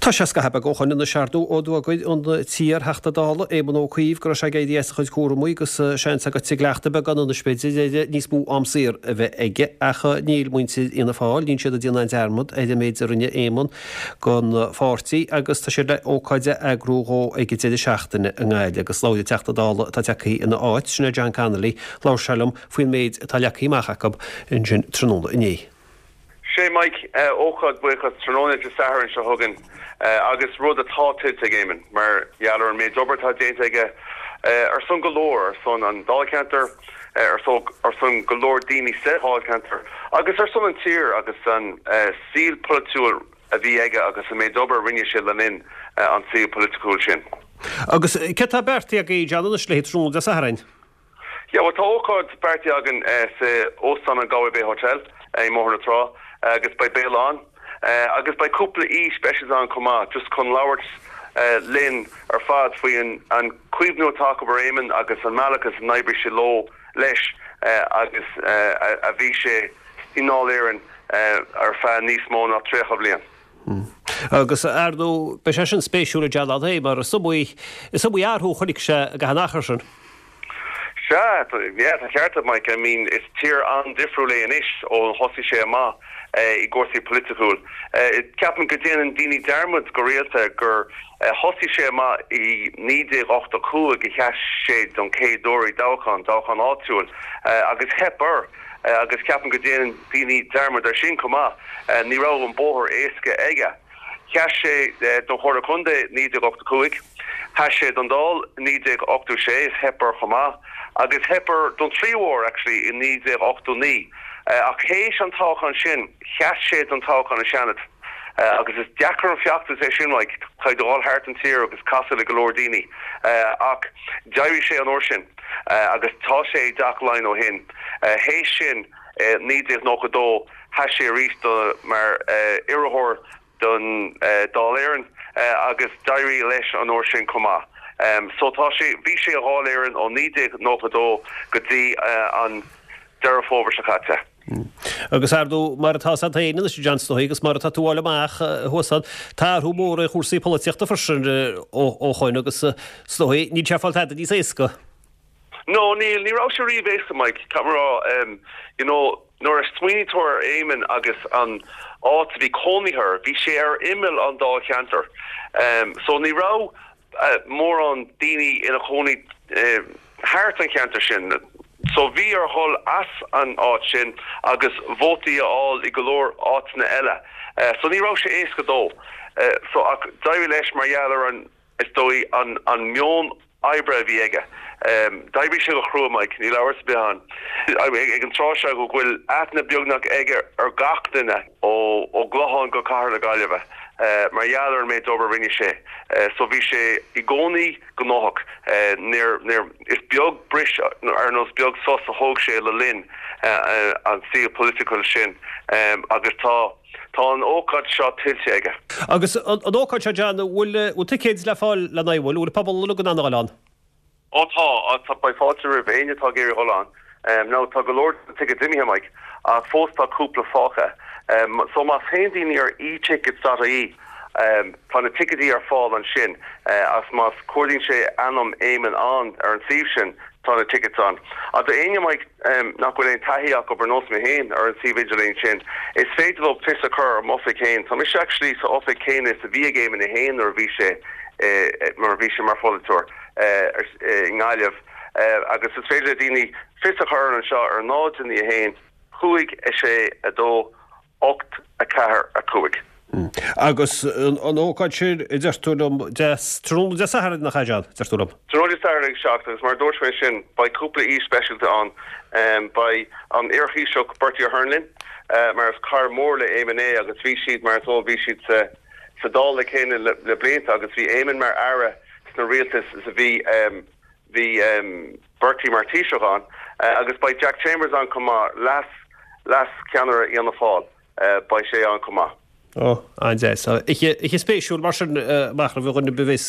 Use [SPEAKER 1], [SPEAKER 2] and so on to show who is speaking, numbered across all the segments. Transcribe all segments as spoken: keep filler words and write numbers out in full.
[SPEAKER 1] Tá sé scaitheamh beag ó shoin anois ar ndóigh ó d'fhógair an t-iar-Theachta Dála Éamon Ó Cuív go raibh sé ag éirí as a chuid cúramaí agus seans agat ag leachta beagán anois b'fhéidir níos mó am saor a bheith aige ach níl muintir Fhianna Fáil, níl siad ag déanamh dearmad ar an méid a rinne Éamon don pháirtí agus tá siad le ócáid a eagrú dhó ag an deireadh seachtaine i nGaillimh agus labhair an Teachta Dála atá tagtha ina áit, sin é John Connolly, labhair sé liom faoin méid atá leagtha amach acu ansin tráthnóna inné.
[SPEAKER 2] Sé Mike ócáid buíochas tráthnóna Dé Sathairn seo chugainn agus rud atá tuillte ag Éamon mar gheall ar an méid obair atá déanta aige ar son go leor ar son an dáilcheantar ar ar son go leor daoine sa dáilcheantar agus ar son an tír agus an saol polaitiúil a bhí aige agus an méid obair a rinne sé le linn an saol polaitiúil sin.
[SPEAKER 1] Agus cé tá beartaithe agaibh John anois le tráthnóna Dé Sathairn?
[SPEAKER 2] Ja, well, tá ócáid beartaithe againn sa óstán an Galway Bay Hotel i mBóthar na Trá agus beidh béile ann agus beidh cúpla aoi speisialta ann chomh maith just chun labhairt linn ar fad faoi an cuimhniú atá acu ar Éamon agus an mbealach is a d'oibrigh sé leo leis agus a bhí sé i nDáil Éireann ar feadh níos mó ná tríocha bliain.
[SPEAKER 1] Agus ar ndóigh beidh sé sin spéisiúil John é mar is iomaí is iomaí athrú a chonaic sé go han achar sin.
[SPEAKER 2] Sea, yeah, tá ceart Mike, I mean is tír an-difriúil é anois ó thosaigh sé amach i gcúrsaí polaitiúil. Ceapaim go déanann daoine dearmad go rialta gur thosaigh sé amach i naoi déag ochtó cúig a sheas sé don chéad uair i dtoghchán, toghchán áitiúil agus theip air agus ceapaim go déanann daoine dearmad ar sin chomh maith. Ní raibh an bóthar éasca aige. Sheas sé don Chomhairle Contae naoi déag ochtó cúig, sheas sé don Dáil naoi déag ochtó sé is theip air chomh maith, agus theip air don tríú huair actually i naoi déag ochtó naoi. Ach théis an toghchán sin sheas sé don toghchán an Seanad. Agus is deacair an feachtas é sin Mike, caithfidh tú dhul thart an tír agus casadh le go leor daoine. Ach d'éirigh sé an uair sin agus tá sé i dTeach Laighean ó shin. Théis sin naoi déag nócha dó sheas sé arís do mar iarrthóir don Dáil Éireann agus d'éirigh leis an uair sin chomh maith. So tá sé bhí sé i nDáil Éireann ó naoi déag nócha dó go dtí an Deireadh Fómhair seo caite.
[SPEAKER 1] Agus ar ndóigh mar atá sa féin anois John is dóigh agus mar atá tú fháil amach thuas ann, tá athrú mór ar chúrsaí polaitíochta freisin ó shoin agus is dóigh níl sé ag fáil tada níos éasca.
[SPEAKER 2] No, níl, ní raibh sé riamh éasca Mike, caithfidh mé a rá, you know, nuair a smaoiníonn tú ar Éamon agus an áit a bhí cónaí air, bhí sé ar imeall an dáilcheantar. So ní raibh mórán daoine ina chónaí thart an cheantar sin. So bhí air dhul as an áit sin agus vótaí a fháil i go leor áiteanna eile. So ní raibh sé éasca dó. So ach d'éirigh leis mar gheall ar an is dóigh an an meon oibre a bhí aige. D'oibrigh sé go crua Mike, níl amhras ar bith ann. Ag an tráth seo go bhfuil aithne beagnach aige ar gach duine ó ó gClochán go Cathair na Gaillimhe mar gheall ar an méid obair a rinne sé. So bhí sé i gcónaí gnóthach. Níor níor is beag bris ar nós beag sos a thóg sé le linn an saol polaitiúil sin agus tá tá an ócáid seo tuillte aige.
[SPEAKER 1] Agus an ócáid seo John, bhfuil bhfuil ticéid le fáil le bhfuil bhfuil pobal go an ann?
[SPEAKER 2] Ó tá tá beidh fáilte roimh éinne atá ag iarraidh dhul ann. Now tá go leor tickets imithe Mike ach fós tá cúpla fágtha. So má théann daoine ar etickets.ie tá na ticéidí ar fáil ansin as más cuardaíonn sé ainm Éamon ann ar an suíomh sin tá na tickets ann. A do éinne Mike nach bhfuil aon taithí acu ar nós mé féin ar an suíomh idirlín sin, is féidir leo fios a chur ar m'oifig féin. Tá mise actually sa oifig céanna is a bhí ag Éamon é féin nuair a bhí sé mar a bhí sé mar pholaiteoir i nGaillimh agus is féidir le daoine fios a chur anseo ar náid naoi a haon cúig a sé a dó ocht a ceathair a cúig.
[SPEAKER 1] Agus an ócáid sin a deir tú liom tráthnóna Dé Sathairn nach ea John, deir tú liom.
[SPEAKER 2] Tráthnóna Dé Sathairn ag seacht agus mar dúirt mé sin beidh cúpla aoi speisialta ann beidh an iar-Thaoiseach Bertie Ahern linn mar is cara mór le Éamon é agus bhí siad mar is bhí siad sa sa Dáil le chéile le, le blianta agus bhí Éamon mar aire sna rialtas is a bhí bhí Bertie mar Taoiseach ann agus beidh Jack Chambers ann chomh maith leas leas ceannaire Fhianna Fáil beidh sé ann chomh maith.
[SPEAKER 1] Ó an-deas. Oíche spéisiúil mar sin amach roimh dhuine a bheas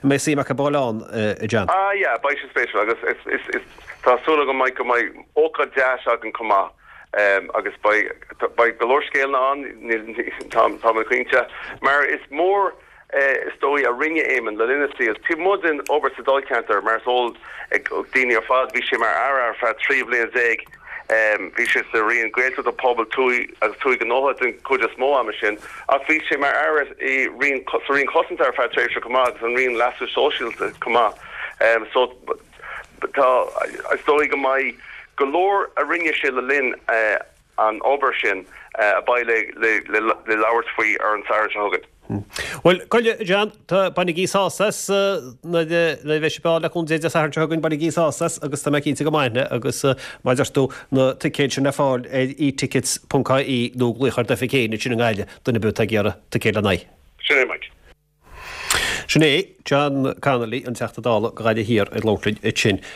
[SPEAKER 1] mbeidh suim acu a ghabháil ann John.
[SPEAKER 2] Ah yeah, beidh sé spéisiúil agus is is is tá súil agam Mike go mbeidh ócáid deas againn chomh maith agus beidh beidh go leor scéalna ann tá tá mé cinnte mar is mór is dóigh a rinne Éamon le linn a shaoil. Taobh amuigh den obair sa Dáilcheantar mar is eol ag daoine ar fad bhí sé mar aire ar feadh trí bhliain déag. Bhí sé sa Roinn Gaeltachta Pobail Tuaithe agus Tuaithe Gnótha den chuid is mó ama sin ach bhí sé mar aire i Roinn sa Roinn Cosanta ar feadh tréimhse chomh maith agus an Roinn Leasa Sóisialta chomh maith. So tá is dóigh go mbeidh go leor a rinne sé le linn an obair sin a bheidh le labhairt faoi ar an Satharn seo chugainn.
[SPEAKER 1] Bhuel, goile, John, tá bainigí sásamh as nuair a bheidh sibh le cúnamh Dé Dé Sathairn seo chugainn, bainigí sásamh as agus tá mé cinnte go mbainfidh agus mar a deir tú na ticéid sin le fáil ar etickets ponc ie nó glaoch ar d'oifig féin ansin i nGaillimh, duine ar bith atá ag iarraidh ticéad lena n-aghaidh.
[SPEAKER 2] Sin é, Mike.
[SPEAKER 1] Sin é John Connolly, an Teachta Dála do Ghaillimh Thiar ag labhairt linn ansin.